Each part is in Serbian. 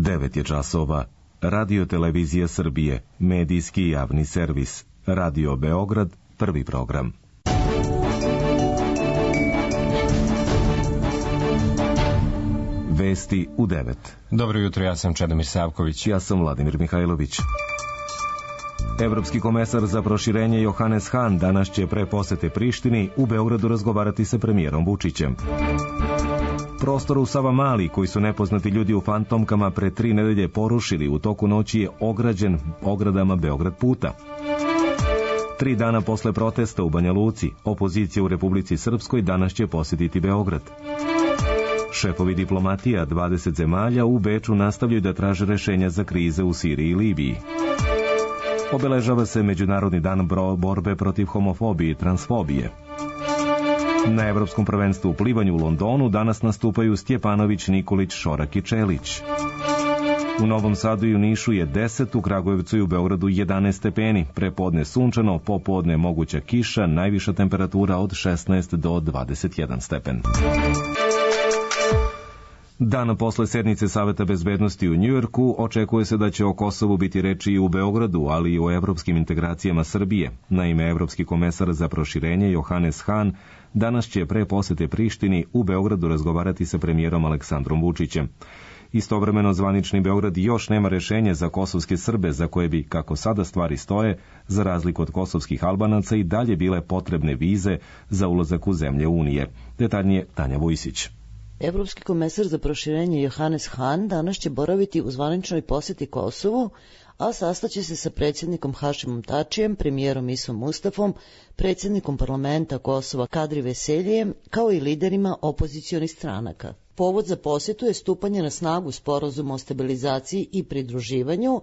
9 je časova. Radio Televizija Srbije, medijski javni servis. Radio Beograd, prvi program. Vesti u 9. Dobro jutro, ja sam Čedomir Savković. Ja sam Vladimir Mihajlović. Evropski komesar za proširenje Johannes Hahn danas će pre posete Prištini u Beogradu razgovarati sa premijerom Vučićem. Prostor u Savamali, koji su nepoznati ljudi u fantomkama pre 3 nedelje porušili u toku noći, je ograđen ogradama Beograd puta. 3 dana posle protesta u Banja Luci, opozicija u Republici Srpskoj danas će posjetiti Beograd. Šefovi diplomatija 20 zemalja u Beču nastavljaju da traže rešenja za krize u Siriji i Libiji. Obeležava se Međunarodni dan borbe protiv homofobije i transfobije. Na Evropskom prvenstvu u plivanju u Londonu danas nastupaju Stjepanović, Nikolić, Šorak i Čelić. U Novom Sadu i u Nišu je 10, u Kragujevcu i u Beogradu 11 stepeni. Prepodne sunčano, popodne moguća kiša, najviša temperatura od 16 do 21 stepen. Dan posle sednice Saveta bezbednosti u Njujorku očekuje se da će o Kosovu biti reči i u Beogradu, ali i o evropskim integracijama Srbije. Naime, evropski komesar za proširenje Johannes Hahn danas će pre posete Prištini u Beogradu razgovarati sa premijerom Aleksandrom Vučićem. Istovremeno, zvanični Beograd još nema rešenja za kosovske Srbe, za koje bi, kako sada stvari stoje, za razliku od kosovskih Albanaca, i dalje bile potrebne vize za ulazak u zemlje Unije. Detaljnije Tanja Vujsić. Evropski komesar za proširenje Johannes Hahn danas će boraviti u zvaničnoj poseti Kosovu, a sastaće se sa predsjednikom Hašimom Tačijem, premijerom Isom Mustafom, predsjednikom parlamenta Kosova Kadri Veseljijem, kao i liderima opozicionih stranaka. Povod za posjetu je stupanje na snagu sporazuma o stabilizaciji i pridruživanju,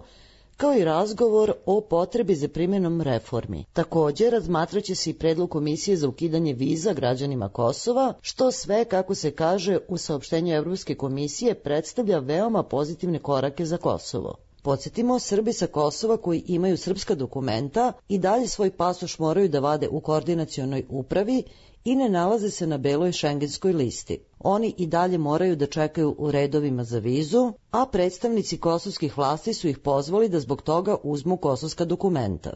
kao i razgovor o potrebi za primjenom reformi. Također, razmatraće se i predlog komisije za ukidanje viza građanima Kosova, što sve, kako se kaže u saopštenju Evropske komisije, predstavlja veoma pozitivne korake za Kosovo. Podsjetimo, Srbi sa Kosova koji imaju srpska dokumenta i dalje svoj pasoš moraju da vade u koordinacionoj upravi i ne nalaze se na beloj šengenskoj listi. Oni i dalje moraju da čekaju u redovima za vizu, a predstavnici kosovskih vlasti su ih pozvali da zbog toga uzmu kosovska dokumenta.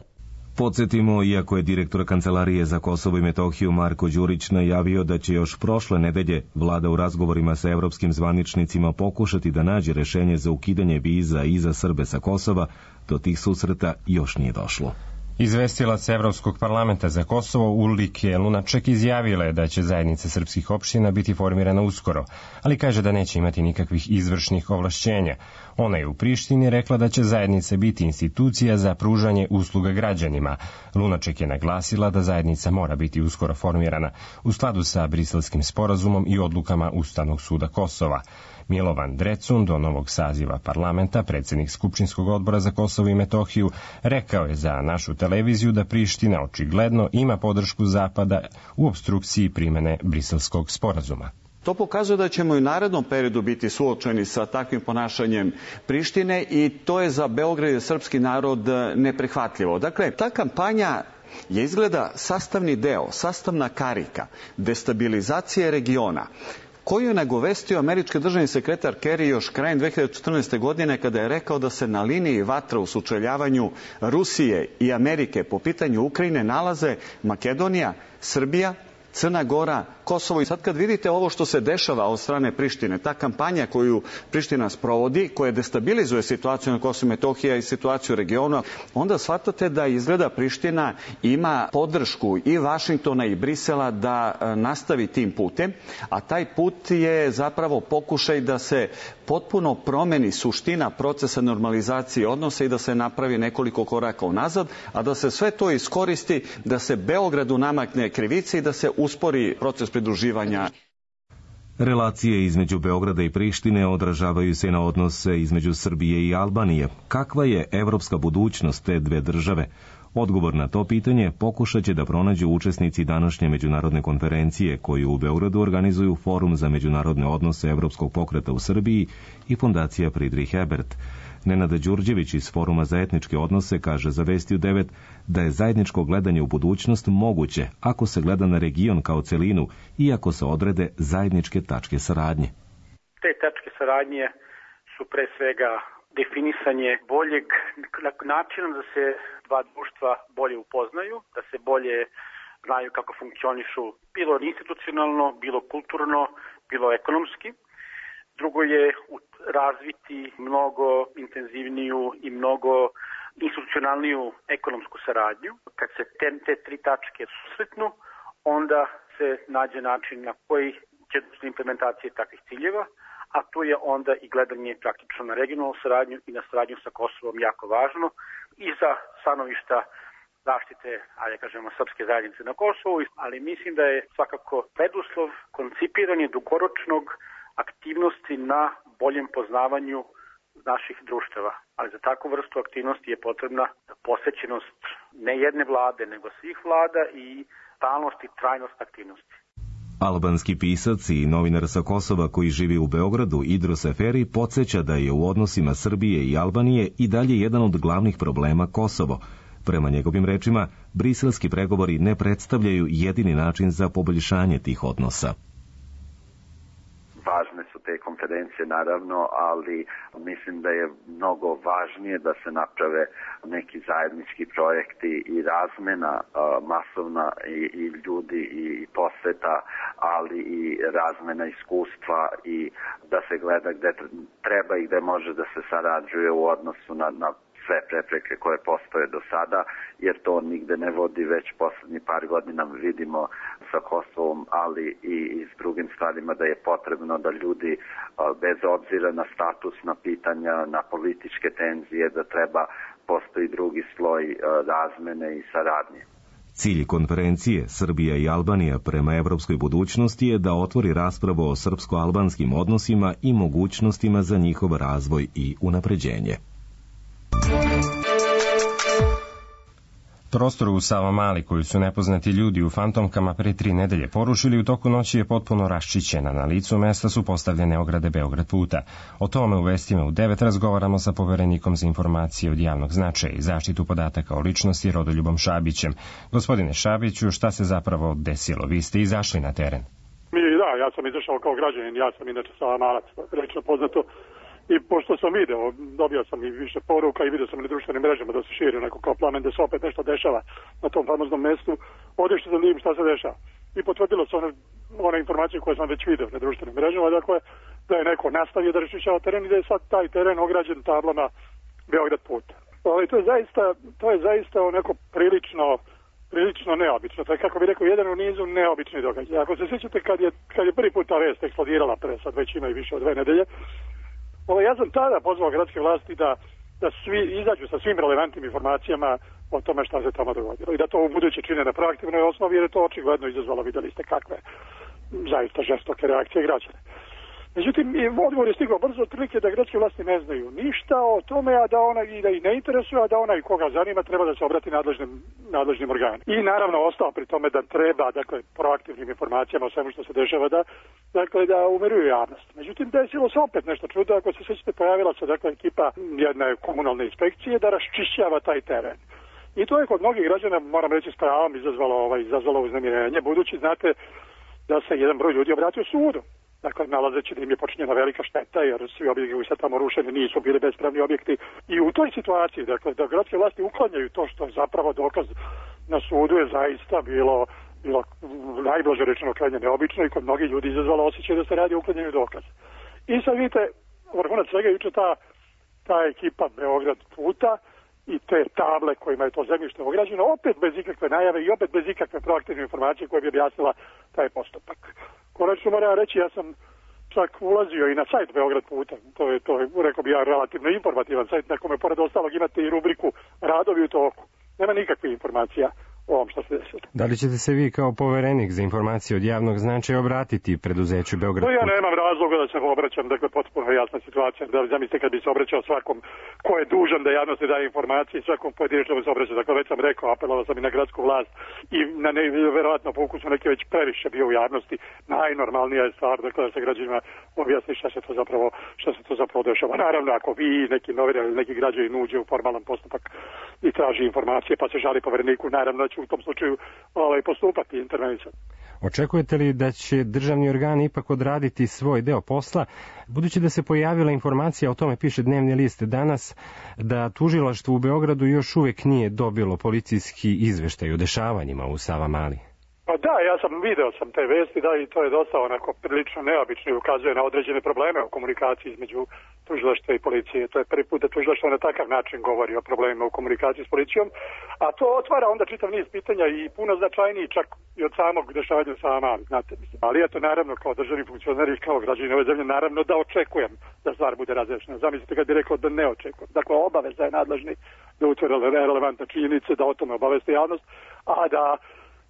Podsjetimo, iako je direktor Kancelarije za Kosovo i Metohiju Marko Đurić najavio da će još prošle nedelje vlada u razgovorima sa evropskim zvaničnicima pokušati da nađe rešenje za ukidanje viza i za Srbe sa Kosova, do tih susreta još nije došlo. Izvestilac Evropskog parlamenta za Kosovo Ulrike Lunaček izjavila je da će zajednica srpskih opština biti formirana uskoro, ali kaže da neće imati nikakvih izvršnih ovlašćenja. Ona je u Prištini rekla da će zajednica biti institucija za pružanje usluga građanima. Lunaček je naglasila da zajednica mora biti uskoro formirana u skladu sa Briselskim sporazumom i odlukama Ustavnog suda Kosova. Milovan Drecun, do novog saziva parlamenta, predsjednik Skupštinskog odbora za Kosovo i Metohiju, rekao je za našu televiziju da Priština očigledno ima podršku Zapada u opstrukciji primene Briselskog sporazuma. To pokazuje da ćemo i u narednom periodu biti suočeni sa takvim ponašanjem Prištine i to je za Beograd i srpski narod neprihvatljivo. Dakle, ta kampanja je izgleda sastavni deo, sastavna karika destabilizacije regiona, koju je nagovestio američki državni sekretar Kerry još krajem 2014. godine kada je rekao da se na liniji vatra u sučeljavanju Rusije i Amerike po pitanju Ukrajine nalaze Makedonija, Srbija, Crna Gora, Kosovo. I sad kad vidite ovo što se dešava od strane Prištine, ta kampanja koju Priština sprovodi, koja destabilizuje situaciju na Kosovu i Metohiji i situaciju u regionu, onda shvatate da izgleda Priština ima podršku i Vašingtona i Brisela da nastavi tim putem, a taj put je zapravo pokušaj da se potpuno promeni suština procesa normalizacije odnosa i da se napravi nekoliko koraka unazad, a da se sve to iskoristi, da se Beogradu namakne krivice i da se uspori proces pridruživanja. Relacije između Beograda i Prištine odražavaju se na odnose između Srbije i Albanije. Kakva je evropska budućnost te dve države? Odgovor na to pitanje pokušat će da pronađu učesnici današnje međunarodne konferencije koju u Beogradu organizuju Forum za međunarodne odnose Evropskog pokreta u Srbiji i Fondacija Friedrich Ebert. Nenada Đurđević iz Foruma za etničke odnose kaže za Vesti u 9 da je zajedničko gledanje u budućnost moguće ako se gleda na region kao celinu i ako se odrede zajedničke tačke saradnje. Te tačke saradnje su pre svega definisanje boljeg načina da se dva društva bolje upoznaju, da se bolje znaju kako funkcionišu, bilo institucionalno, bilo kulturno, bilo ekonomski. Drugo je razviti mnogo intenzivniju i mnogo institucionalniju ekonomsku saradnju. Kad se te tri tačke susretnu, onda se nađe način na koji će doći implementacije takvih ciljeva, a tu je onda i gledanje praktično na regionalnu saradnju i na saradnju sa Kosovom jako važno i za stanovišta zaštite, ajde kažemo, srpske zajednice na Kosovu, ali mislim da je svakako preduslov koncipiranje dugoročnog aktivnosti na boljem poznavanju naših društava. Ali za takvu vrstu aktivnosti je potrebna posvećenost ne jedne vlade, nego svih vlada i stalnost i trajnost aktivnosti. Albanski pisac i novinar sa Kosova koji živi u Beogradu, Idros Eferi, podsjeća da je u odnosima Srbije i Albanije i dalje jedan od glavnih problema Kosovo. Prema njegovim rečima, briselski pregovori ne predstavljaju jedini način za poboljšanje tih odnosa. Važne su te konferencije naravno, ali mislim da je mnogo važnije da se naprave neki zajednički projekti i razmena masovna i ljudi i poseta, ali i razmena iskustva i da se gleda gde treba i gde može da se sarađuje u odnosu na sve prepreke koje postoje do sada, jer to nigde ne vodi, već poslednji par godina vidimo sa Kosovom, ali i s drugim stvarima da je potrebno da ljudi, bez obzira na statusna pitanja, na političke tenzije, da treba postoji drugi sloj razmene i saradnje. Cilj konferencije Srbija i Albanija prema evropskoj budućnosti je da otvori raspravu o srpsko-albanskim odnosima i mogućnostima za njihov razvoj i unapređenje. Prostor u Savamali koju su nepoznati ljudi u fantomkama pre 3 nedelje porušili u toku noći je potpuno raščićena. Na licu mesta su postavljene ograde Beograd puta. O tome u vestima u 9 razgovaramo sa poverenikom za informacije od javnog značaja i zaštitu podataka o ličnosti Rodoljubom Šabićem. Gospodine Šabiću, šta se zapravo desilo? Vi ste izašli na teren. Da, ja sam izašao kao građanin, ja sam inače Savamalac, rečno poznato. I pošto sam video, dobio sam i više poruka i vidio sam na društvenim mrežama da se širi neko kao plamen da se opet nešto dešava na tom famoznom mestu, odešao sam da vidim šta se dešava. I potvrdilo se one informacije koje sam već video na društvenim mrežama, dakle da je neko nastavio da raščišćava teren i da je sad taj teren ograđen tablama Beograd puta. Ali to je zaista neko prilično neobično. To je, kako bih rekao, jedan u nizu neobični događaj. Ako se sjećate kad je prvi put ta vest eksplodirala pre sad već ima i više od 2 nedelje, ja sam tada pozvao gradske vlasti da svi izađu sa svim relevantnim informacijama o tome šta se tamo dogodilo i da to u buduće čine na proaktivnoj osnovi, jer je to očigledno izazvalo, videli ste kakve zaista žestoke reakcije građana. Međutim, odgovor je stigao brzo, otprilike da gradske vlasti ne znaju ništa o tome, a da ona i da ih ne interesuje, a da onaj koga zanima treba da se obrati nadležnim organima. I naravno ostao pri tome da treba, dakle, proaktivnim informacijama o svemu što se dešava da umiruju javnost. Međutim, desilo se opet nešto čudo, ako se sjećate, pojavila se dakle ekipa jedne komunalne inspekcije da raščišćava taj teren. I to je kod mnogih građana, moram reći, s pravom izazvalo uznemirenje, budući znate da se jedan broj ljudi obratio sudu. Dakle, nalazeći da im je počinjena velika šteta, jer svi objekti koji su tamo rušeni nisu bili bespravni objekti. I u toj situaciji, dakle, da gradske vlasti uklanjaju to što je zapravo dokaz na sudu je zaista bilo najblaže rečeno krajnje neobično i kod mnogih ljudi izazvalo osjećaj da se radi o uklanjanju dokaza. I sad vidite, vrhunac svega juče ta ekipa Beograd puta i te table kojima je to zemljište ograđeno, opet bez ikakve najave i opet bez ikakve proaktivne informacije koje bi objasnila taj postupak. Konačno moram reći, ja sam čak ulazio i na sajt Beograd puta, to je rekao bi ja, relativno informativan sajt na kome pored ostalog imate i rubriku Radovi u toku. Nema nikakve informacija o ovom što se desilo. Da li ćete se vi kao poverenik za informacije od javnog značaja obratiti preduzeću Beograd puta? Ja nemam razloga da se obraćam, dakle potpuno jasna situacija. Da zamislite kad bi se obraćao svakom ko je dužan da javnosti daje informacije, svakom pojedinačno bi se obraćao. Dakle, već sam rekao, apelovao sam i na gradsku vlast i na verovatno po ukusu neki već previše bio u javnosti. Najnormalnija je stvar, dakle, da se građanima objasni šta se to zapravo dešava. Naravno, ako vi, neki novinar ili neki građanin uđe u formalan postupak i traži informacije pa se žali povereniku, naravno da će u tom slučaju postupati intervencijom. Očekujete li da će državni organi ipak odraditi svoj deo posla, budući da se pojavila informacija, o tome piše Dnevni list danas, da tužilaštvo u Beogradu još uvijek nije dobilo policijski izveštaj o dešavanjima u Savamali? Pa da, ja video sam te vesti, da, i to je dosta onako prilično neobično i ukazuje na određene probleme u komunikaciji između tužilaštva i policije. To je prvi put da tužilaštvo na takav način govori o problemima u komunikaciji s policijom, a to otvara onda čitav niz pitanja i puno značajniji čak i od samog dešavanja u Savamali, znate. Ali eto, naravno, kao državni funkcionar i kao građanin ove zemlje, naravno da očekujem da stvar bude razrešena. Zamislite kad bi rekao da ne očekujem. Dakle, obaveza je nadležni da utvrde relevantne činjenice, da o tome obaveste javnost, a da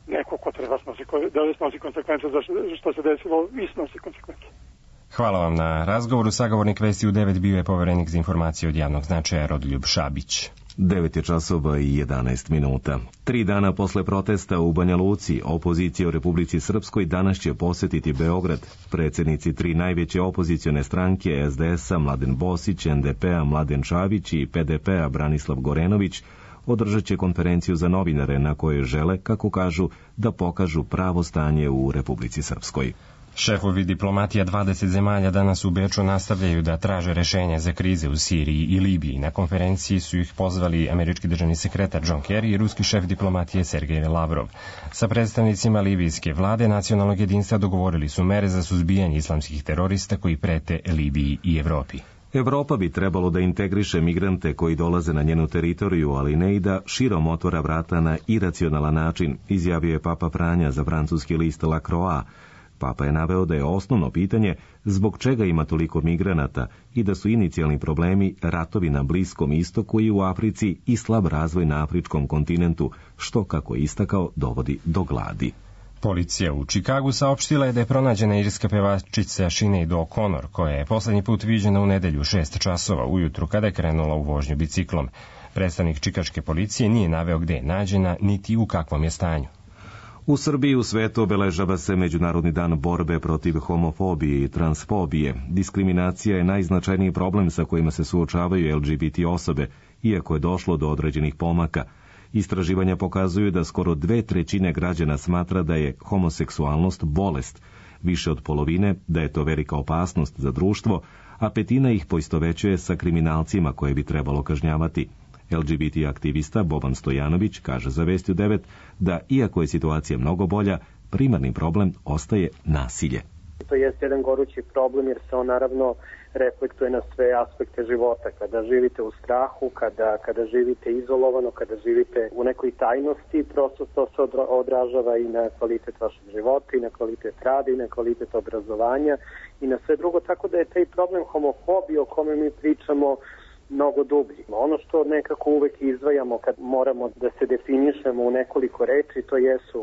neko ko treba snosi konsekvence za što se desilo i snosi konsekvence. Hvala vam na razgovoru. Sagovornik Vesti u 9 bio je poverenik za informacije od javnog značaja Rodoljub Šabić. 9 je časova i 11 minuta. 3 dana posle protesta u Banja Luci, opozicija u Republici Srpskoj danas će posetiti Beograd. Predsjednici 3 najveće opozicione stranke, SDS-a Mladen Bosić, NDP-a Mladen Čavić i PDP-a Branislav Gorenović, održat će konferenciju za novinare na kojoj žele, kako kažu, da pokažu pravo stanje u Republici Srpskoj. Šefovi diplomatija 20 zemalja danas u Beču nastavljaju da traže rešenja za krize u Siriji i Libiji. Na konferenciji su ih pozvali američki državni sekretar John Kerry i ruski šef diplomatije Sergej Lavrov. Sa predstavnicima libijske vlade nacionalnog jedinstva dogovorili su mere za suzbijanje islamskih terorista koji prete Libiji i Evropi. Evropa bi trebalo da integriše migrante koji dolaze na njenu teritoriju, ali ne i da širom otvora vrata na iracionalan način, izjavio je Papa Franja za francuski list La Croix. Papa je naveo da je osnovno pitanje zbog čega ima toliko migranata i da su inicijalni problemi ratovi na Bliskom istoku i u Africi i slab razvoj na afričkom kontinentu, što, kako je istakao, dovodi do gladi. Policija u Čikagu saopštila je da je pronađena irska pevačica Sinead O'Connor, koja je poslednji put viđena u nedelju 6 časova ujutru kada je krenula u vožnju biciklom. Predstavnik čikaške policije nije naveo gde je nađena, niti u kakvom je stanju. U Srbiji u svetu obeležava se Međunarodni dan borbe protiv homofobije i transfobije. Diskriminacija je najznačajniji problem sa kojima se suočavaju LGBT osobe, iako je došlo do određenih pomaka. Istraživanja pokazuju da skoro 2/3 građana smatra da je homoseksualnost bolest, više od polovine da je to velika opasnost za društvo, a 1/5 ih poistovećuje sa kriminalcima koje bi trebalo kažnjavati. LGBT aktivista Boban Stojanović kaže za Vesti u 9 da, iako je situacija mnogo bolja, primarni problem ostaje nasilje. To je jedan gorući problem jer se on naravno reflektuje na sve aspekte života. Kada živite u strahu, kada živite izolovano, kada živite u nekoj tajnosti, prosto to se odražava i na kvalitet vašeg života, i na kvalitet rada, i na kvalitet obrazovanja, i na sve drugo. Tako da je taj problem homofobije o kome mi pričamo mnogo dublji. Ono što nekako uvek izdvajamo kad moramo da se definišemo u nekoliko reči, to jesu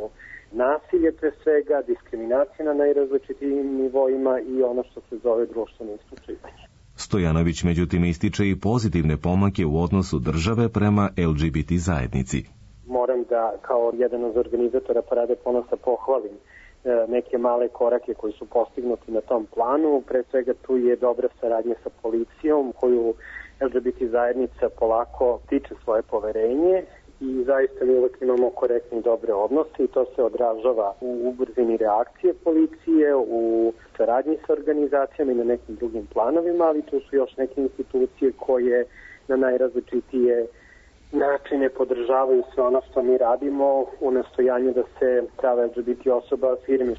nasilje pre svega, diskriminacija na najrazličitijim nivoima i ono što se zove društveno isključivanje. Stojanović međutim ističe i pozitivne pomake u odnosu države prema LGBT zajednici. Moram da kao jedan od organizatora Parade ponosa pohvalim neke male korake koji su postignuti na tom planu. Pre svega tu je dobra saradnja sa policijom koju LGBT zajednica polako tiče svoje poverenje i zaista mi uvek imamo korektne i dobre odnose i to se odražava u brzini reakcije policije, u saradnji sa organizacijama i na nekim drugim planovima, ali tu su još neke institucije koje na najrazličitije načine podržavaju sve ono što mi radimo u nastojanju da se prava LGBT osoba afirmi.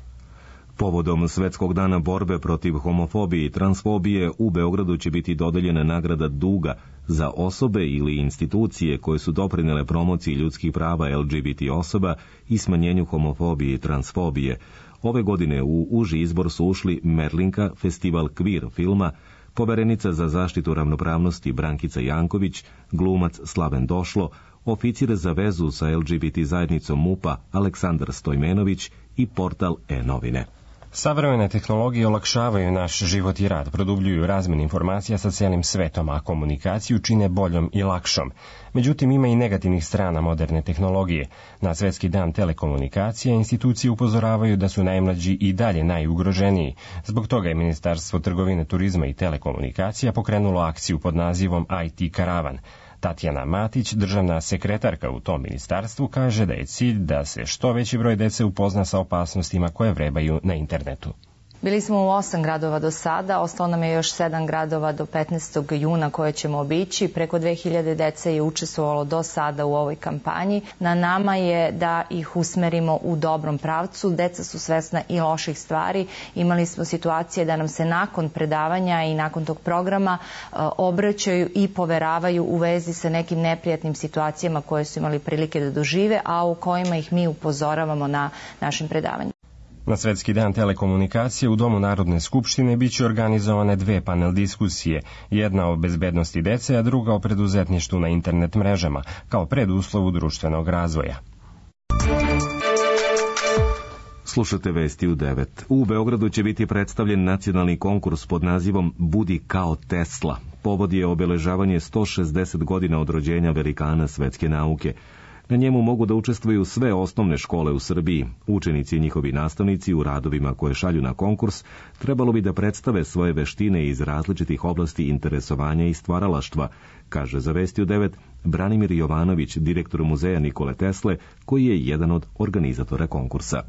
Povodom Svetskog dana borbe protiv homofobije i transfobije u Beogradu će biti dodeljena nagrada Duga za osobe ili institucije koje su doprinele promociji ljudskih prava LGBT osoba i smanjenju homofobije i transfobije. Ove godine u uži izbor su ušli Merlinka, festival Queer filma, poverenica za zaštitu ravnopravnosti Brankica Janković, glumac Slaven Došlo, oficir za vezu sa LGBT zajednicom MUP-a Aleksandar Stojmenović i portal E-novine. Savremene tehnologije olakšavaju naš život i rad, produbljuju razmenu informacija sa celim svetom, a komunikaciju čine boljom i lakšom. Međutim, ima i negativnih strana moderne tehnologije. Na Svetski dan telekomunikacija institucije upozoravaju da su najmlađi i dalje najugroženiji. Zbog toga je Ministarstvo trgovine, turizma i telekomunikacija pokrenulo akciju pod nazivom IT Karavan. Tatjana Matić, državna sekretarka u tom ministarstvu, kaže da je cilj da se što veći broj dece upozna sa opasnostima koje vrebaju na internetu. Bili smo u 8 gradova do sada, ostalo nam je još 7 gradova do 15. juna koje ćemo obići. Preko 2000 dece je učestvovalo do sada u ovoj kampanji. Na nama je da ih usmerimo u dobrom pravcu. Deca su svesna i loših stvari. Imali smo situacije da nam se nakon predavanja i nakon tog programa obraćaju i poveravaju u vezi sa nekim neprijatnim situacijama koje su imali prilike da dožive, a u kojima ih mi upozoravamo na našim predavanjima. Na Svetski dan telekomunikacije u Domu Narodne skupštine biće organizovane 2 panel diskusije, jedna o bezbednosti dece, a druga o preduzetništvu na internet mrežama, kao preduslovu društvenog razvoja. Slušate vesti u 9. U Beogradu će biti predstavljen nacionalni konkurs pod nazivom Budi kao Tesla. Povod je obeležavanje 160 godina od rođenja velikana svetske nauke. Na njemu mogu da učestvuju sve osnovne škole u Srbiji. Učenici i njihovi nastavnici u radovima koje šalju na konkurs trebalo bi da predstave svoje veštine iz različitih oblasti interesovanja i stvaralaštva, kaže za Vesti u 9 Branimir Jovanović, direktor muzeja Nikole Tesle, koji je jedan od organizatora konkursa.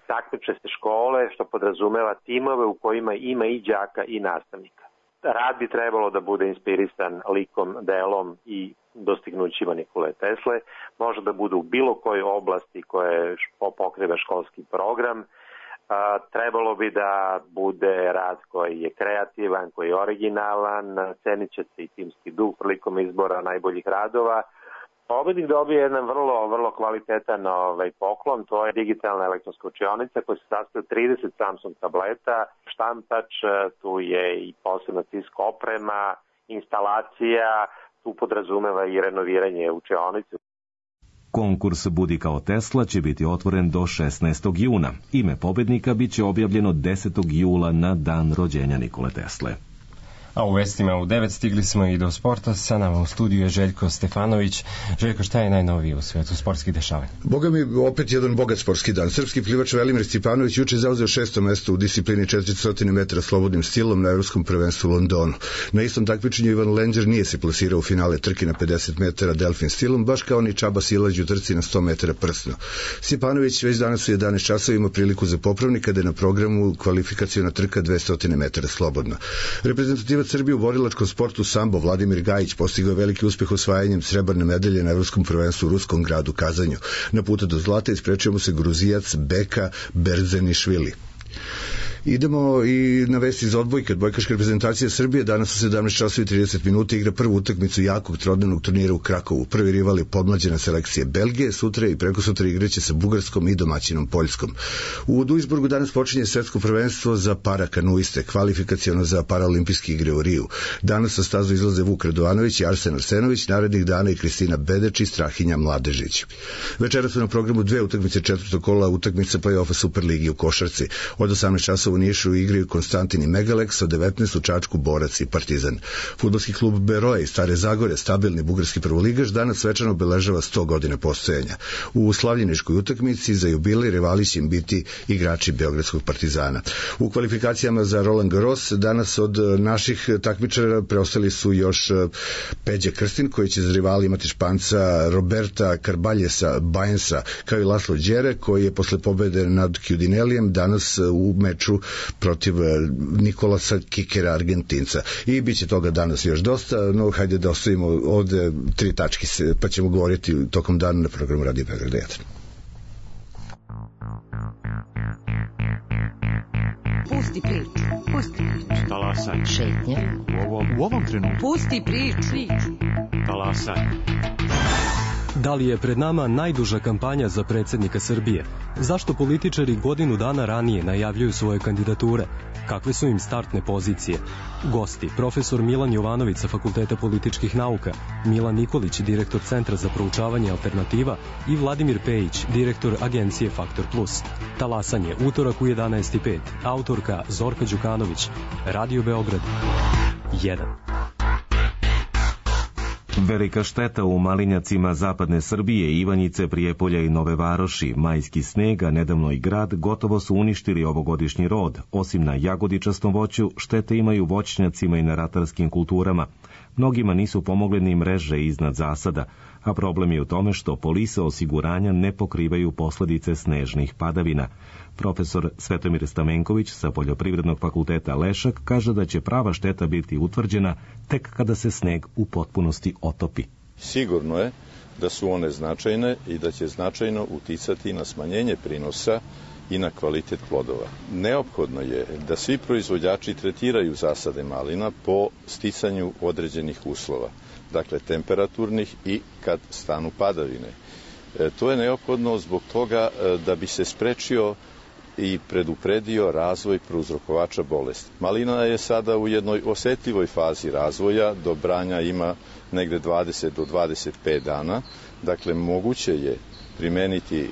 Takmiče se škole, što podrazumeva timove u kojima ima i đaka i nastavnika. Rad bi trebalo da bude inspirisan likom, delom i dostignućima Nikole Tesle, može da bude u bilo kojoj oblasti koje pokriva školski program. Trebalo bi da bude rad koji je kreativan, koji je originalan, cenit će se i timski duh prilikom izbora najboljih radova. Pobednik dobije jedan vrlo kvalitetan poklon, to je digitalna elektronska učionica koja se sastoji od 30 Samsung tableta, štampač, tu je i posebna tiska oprema, instalacija, tu podrazumeva i renoviranje učionice. Konkurs Budi kao Tesla će biti otvoren do 16. juna. Ime pobednika biće objavljeno 10. jula na dan rođenja Nikole Tesle. A u vestima u 9 stigli smo i do sporta. Sa nama u studiju je Željko Stefanović. Željko, šta je najnovije u svetu sportskih dešavanja? Boga mi, opet jedan bogat sportski dan. Srpski plivač Velimir Stipanović juče zauzeo 6. mesto u disciplini 400 metara slobodnim stilom na Evropskom prvenstvu u Londonu. Na istom takmičenju Ivan Lenđer nije se plasirao u finale trke na 50 metara delfin stilom, baš kao ni Čaba Silać u trci na 100 metara prsno. Stipanović već danas u 11 časova ima priliku za popravnik kada je na programu kvalifikaciona trka 200 metara slobodno. Reprezentativac Srbije u borilačkom sportu sambo Vladimir Gajić postigao veliki uspeh osvajanjem srebrne medalje na Evropskom prvenstvu u ruskom gradu Kazanju. Na putu do zlata isprečio mu se Gruzijac Beka Berzenišvili. Idemo i na vesti iz odbojke. Odbojkaška reprezentacija Srbije danas u 17 časova i 30 minuta igra prvu utakmicu jakog trodnevnog turnira u Krakovu. Prvi rival je podmlađena selekcija Belgije, sutra i prekosutra igraće sa Bugarskom i domaćinom Poljskom. U Duisburgu danas počinje svetsko prvenstvo za parakanuiste, kvalifikaciono za paraolimpijske igre u Riju. Danas sa stazu izlaze Vuk Radovanović i Arsen Arsenović, narednih dana i Kristina Bedeč i Strahinja Mladežić. Večera su na programu 2 utakmice četvrtog kola utakmica play-offa Superligi u košarci. Od 18 časova u Nišu igraju Konstantin i Megaleks, od 19 u Čačku Borac i Partizan. Fudbalski klub Beroe iz Stare Zagore, stabilni bugarski prvoligaš, danas svečano obeležava 100 godina postojanja. U slavljeničkoj utakmici za jubilej rivali će im biti igrači Beogradskog Partizana. U kvalifikacijama za Roland Garros danas od naših takmičara preostali su još Peđa Krstin, koji će za rivali imati Španca Roberta Carbaljesa Bajensa, kao i Laslo Đere, koji je posle pobede nad Kjudinelijem danas u meču protiv Nikolasa Kikera, Argentinca. I bit će toga danas još dosta, no hajde da ostavimo ovde 3 tačke, pa ćemo govoriti tokom dana na programu Radio Beograd 1. Pusti priču. Talasaj. Šetnja. U ovom trenutku. Pusti priču. Talasaj. Da li je pred nama najduža kampanja za predsjednika Srbije? Zašto političari godinu dana ranije najavljuju svoje kandidature? Kakve su im startne pozicije? Gosti, profesor Milan Jovanović sa Fakulteta političkih nauka, Milan Nikolić, direktor Centra za proučavanje alternativa i Vladimir Pejić, direktor agencije Faktor Plus. Talasanje, utorak u 11:05. Autorka Zorka Đukanović. Radio Beograd 1. Velika šteta u Malinjacima zapadne Srbije, Ivanjice, Prijepolja i Nove Varoši, majski sneg, a nedavno i grad, gotovo su uništili ovogodišnji rod. Osim na jagodičastom voću, štete imaju voćnjacima i na ratarskim kulturama. Mnogima nisu pomogle ni mreže iznad zasada, a problem je u tome što polise osiguranja ne pokrivaju posledice snežnih padavina. Profesor Svetomir Stamenković sa Poljoprivrednog fakulteta Lešak kaže da će prava šteta biti utvrđena tek kada se sneg u potpunosti otopi. Sigurno je da su one značajne i da će značajno uticati na smanjenje prinosa i na kvalitet plodova. Neophodno je da svi proizvođači tretiraju zasade malina po sticanju određenih uslova, dakle temperaturnih i kad stanu padavine. To je neophodno zbog toga da bi se sprečio i predupredio razvoj prouzrokovača bolesti. Malina je sada u jednoj osetljivoj fazi razvoja, do branja ima negde 20 do 25 dana, dakle moguće je primeniti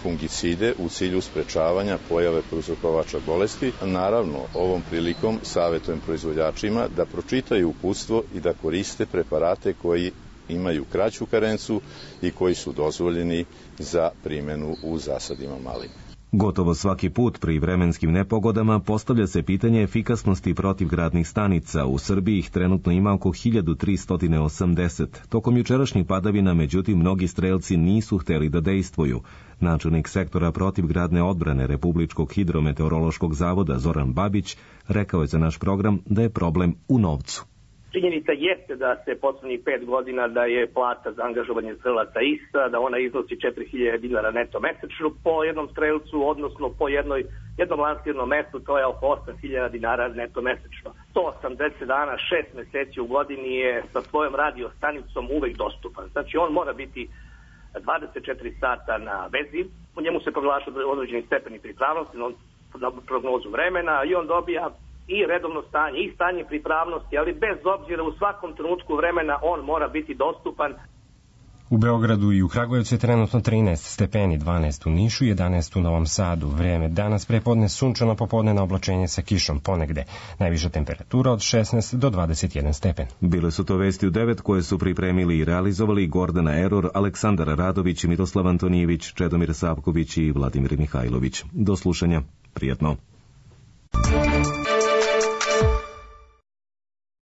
fungicide u cilju sprečavanja pojave prouzrokovača bolesti. Naravno, ovom prilikom savjetujem proizvođačima da pročitaju uputstvo i da koriste preparate koji imaju kraću karencu i koji su dozvoljeni za primjenu u zasadima maline. Gotovo svaki put pri vremenskim nepogodama postavlja se pitanje efikasnosti protivgradnih stanica. U Srbiji ih trenutno ima oko 1380. Tokom jučerašnjih padavina, međutim, mnogi strelci nisu hteli da dejstvuju. Načelnik sektora protivgradne odbrane Republičkog hidrometeorološkog zavoda Zoran Babić rekao je za naš program da je problem u novcu. Činjenica jeste da se poslednjih 5 godina da je plata za angažovanje strelaca ista, da ona iznosi 4000 dinara neto mesečno po jednom strelcu, odnosno po jednom lansirnom mestu, to je oko 8000 dinara neto mesečno. 180 dana, 6 meseci u godini je sa svojom radio stanicom uvek dostupan. Znači on mora biti 24 sata na vezi, u njemu se proglaša određeni stepeni pripravnosti na prognozu vremena i on dobija i redovno stanje, i stanje pripravnosti, ali bez obzira u svakom trenutku vremena on mora biti dostupan. U Beogradu i u Kragujevcu je trenutno 13 stepeni, 12 u Nišu i 11 u Novom Sadu. Vreme danas prepodne sunčano, popodne na oblačenje sa kišom ponegde. Najviša temperatura od 16 do 21 stepen. Bile su to vesti u 9 koje su pripremili i realizovali Gordana Eror, Aleksandar Radović, Miroslav Antonijević, Čedomir Savković i Vladimir Mihajlović. Do slušanja. Prijetno.